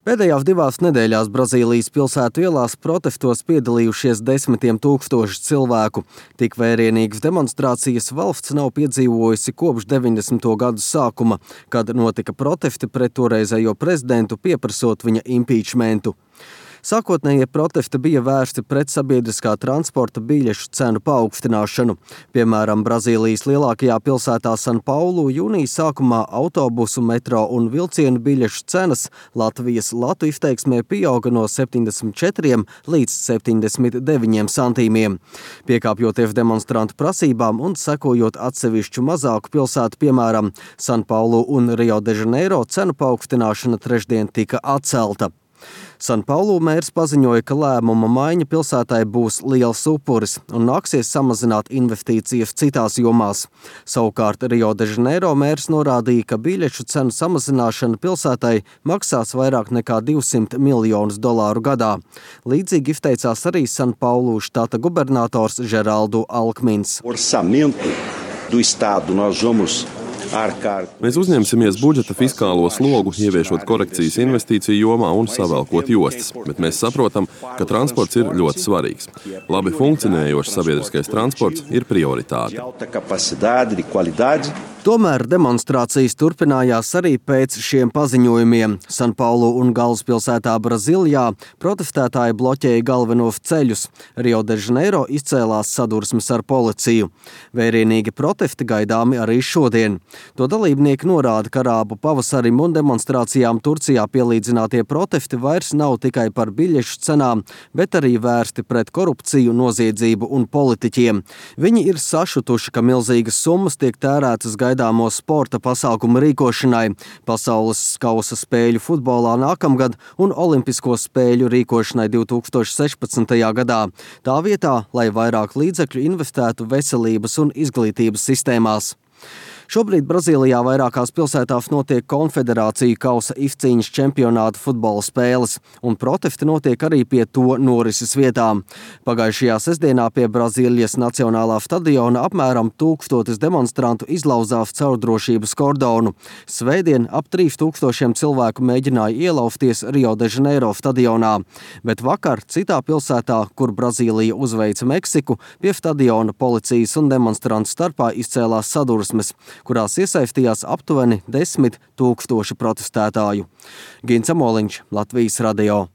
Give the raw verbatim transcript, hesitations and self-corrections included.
Pēdējās divās nedēļās Brazīlijas pilsētu ielās protestos piedalījušies desmitiem tūkstoši cilvēku. Tik vērienīgas demonstrācijas valsts nav piedzīvojusi kopš deviņdesmito gadu sākuma, kad notika protesti pret toreizējo prezidentu pieprasot viņa impeachmentu. Sākotnējie protesti bija vērsti pret sabiedriskā transporta biļešu cenu paaugstināšanu. Piemēram, Brazīlijas lielākajā pilsētā San Paulu jūnijas sākumā autobusu, metro un vilcienu biļešu cenas Latvijas latu izteiksmē pieauga no septiņdesmit četriem līdz septiņdesmit deviņiem santīmiem. Piekāpjoties demonstrantu prasībām un sekojot atsevišķu mazāku pilsētu, piemēram, San Paulu un Rio de Janeiro, cenu paaugstināšana trešdien tika atcelta. San Paulu mērs paziņoja, ka lēmuma maiņa pilsētai būs liels upuris un nāksies samazināt investīcijas citās jomās. Savukārt Rio de Janeiro mērs norādīja, ka biļešu cenu samazināšana pilsētai maksās vairāk nekā divsimt miljonus dolāru gadā. Līdzīgi izteicās arī San Paulu štata gubernators Geraldo Alckmins. Orçamento do estado nós vamos Mēs uzņemsimies budžeta fiskālo slogu, ieviešot korekcijas investīciju jomā un savelkot jostas, bet mēs saprotam, ka transports ir ļoti svarīgs. Labi funkcionējošs sabiedriskais transports ir prioritāte. Tomēr demonstrācijas turpinājās arī pēc šiem paziņojumiem. San Paulu un galvaspilsētā Brazīlijā protestētāji bloķēja galvenos ceļus. Rio de Janeiro izcēlās sadursmes ar policiju. Vērienīgi protesti gaidāmi arī šodien. To dalībnieki norāda, ka arābu pavasarim un demonstrācijām Turcijā pielīdzinātie protesti vairs nav tikai par biļešu cenām, bet arī vērsti pret korupciju, noziedzību un politiķiem. Viņi ir sašutuši, ka milzīgas summas tiek tērētas gaidāmo sporta pasākumu rīkošanai, pasaules kausa spēļu futbolā nākamgad un olimpisko spēļu rīkošanai divi tūkstoši sešpadsmitajā gadā. Tā vietā, lai vairāk līdzekļu investētu veselības un izglītības sistēmās. Šobrīd Brazīlijā vairākās pilsētās notiek konfederāciju kausa izcīņas čempionāta futbola spēles, un protesti notiek arī pie to norises vietām. Pagājušajā sestdienā pie Brazīlijas nacionālā stadiona apmēram tūkstotis demonstrantu izlauzās caur drošības kordonu. Svētdien ap trīs tūkstošiem cilvēku mēģināja ielausties Rio de Janeiro stadionā, bet vakar citā pilsētā, kur Brazīlija uzveica Meksiku, pie stadiona policijas un demonstrantu starpā izcēlās sadursmes, kurās iesaistījās aptuveni desmit tūkstoši protestētāju. Gins Amoliņš, Latvijas radio.